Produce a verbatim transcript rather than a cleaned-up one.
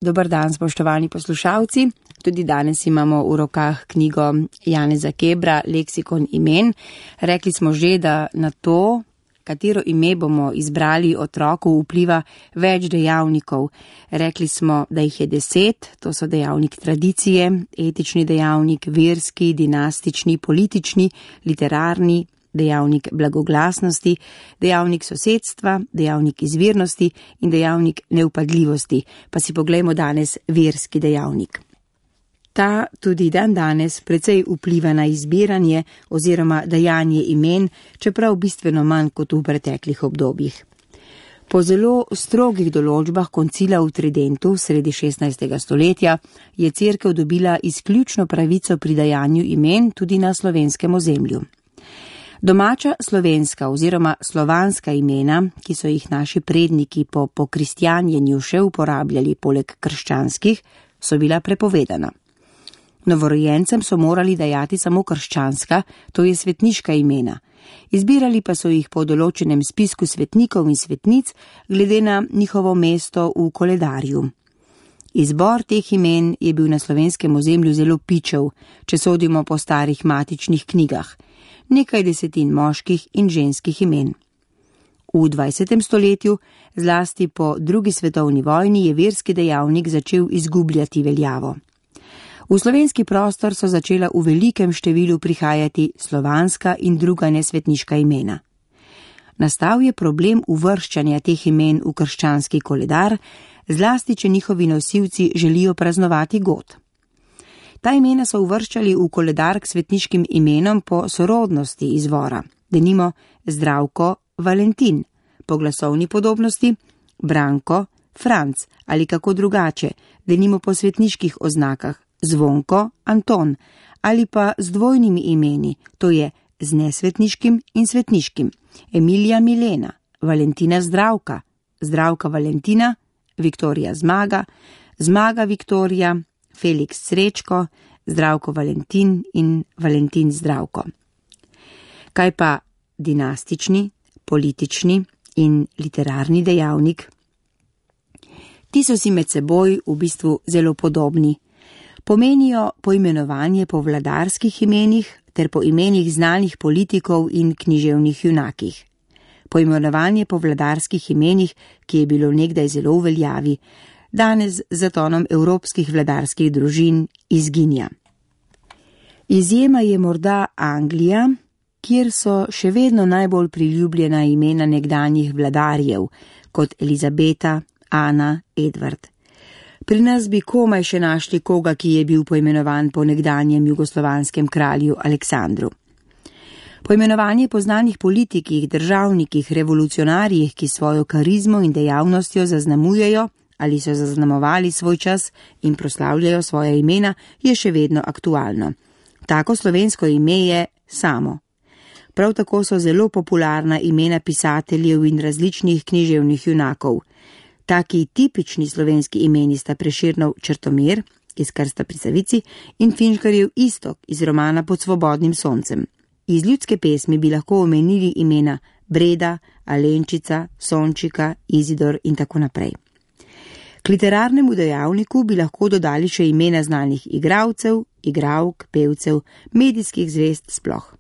Dober dan, spoštovani poslušalci. Tudi danes imamo v rokah knjigo Janeza Kebra, Leksikon imen. Rekli smo že, da na to, katero ime bomo izbrali otroku, vpliva več dejavnikov. Rekli smo, da jih je deset, to so dejavnik tradicije, etični dejavnik, verski, dinastični, politični, literarni, dejavnik blagoglasnosti, dejavnik sosedstva, dejavnik izvirnosti in dejavnik neupadljivosti. Pa si poglejmo danes verski dejavnik. Ta tudi dan danes precej vpliva na izbiranje oziroma dajanje imen, čeprav bistveno manj kot v preteklih obdobjih. Po zelo strogih določbah koncila v Tridentu sredi šestnajstega stoletja je cerkev dobila izključno pravico pri dajanju imen tudi na slovenskem ozemlju. Domača slovenska oziroma slovanska imena, ki so jih naši predniki po pokristjanjenju še uporabljali poleg krščanskih, so bila prepovedana. Novorojencem so morali dajati samo krščanska, to je svetniška imena. Izbirali pa so jih po določenem spisku svetnikov in svetnic glede na njihovo mesto v koledarju. Izbor teh imen je bil na slovenskem ozemlju zelo pičev, če sodimo po starih matičnih knjigah. Nekaj desetin moških in ženskih imen. V dvajsetem stoletju, zlasti po drugi svetovni vojni, je verski dejavnik začel izgubljati veljavo. V slovenski prostor so začela v velikem številu prihajati slovanska in druga nesvetniška imena. Nastal je problem uvrščanja teh imen v krščanski koledar, zlasti če njihovi nosilci želijo praznovati god. Ta imena so uvrščali v koledar k svetniškim imenom po sorodnosti izvora, denimo Zdravko, Valentin, po glasovni podobnosti Branko, Franc ali kako drugače, denimo po svetniških oznakah Zvonko, Anton ali pa z dvojnimi imeni, to je z nesvetniškim in svetniškim, Emilija Milena, Valentina Zdravka, Zdravka Valentina, Viktorija Zmaga, Zmaga Viktorija, Felix Srečko, Zdravko Valentin in Valentin Zdravko. Kaj pa dinastični, politični in literarni dejavnik? Ti so si med seboj v bistvu zelo podobni. Pomenijo poimenovanje po vladarskih imenih ter po imenih znanih politikov in književnih junakih. Poimenovanje po vladarskih imenih, ki je bilo nekdaj zelo v veljavi, danes z zatonom evropskih vladarskih družin izginja. Izjema je morda Anglija, kjer so še vedno najbolj priljubljena imena nekdanjih vladarjev, kot Elizabeta, Ana, Edward. Pri nas bi komaj še našli koga, ki je bil poimenovan po nekdanjem jugoslovanskem kralju Aleksandru. Poimenovanje po znanih politikih, državnikih, revolucionarjih, ki svojo karizmo in dejavnostjo zaznamujejo ali so zaznamovali svoj čas in proslavljajo svoja imena, je še vedno aktualno. Tako slovensko ime je Samo. Prav tako so zelo popularna imena pisateljev in različnih književnih junakov. Taki tipični slovenski imeni sta Prešernov Črtomir iz Krsta pri Savici in Finžgarjev Iztok iz romana Pod svobodnim soncem. Iz ljudske pesmi bi lahko omenili imena Breda, Alenčica, Sončika, Izidor in tako naprej. K literarnemu dejavniku bi lahko dodali še imena znanih igralcev, igralk, pevcev, medijskih zvezd sploh.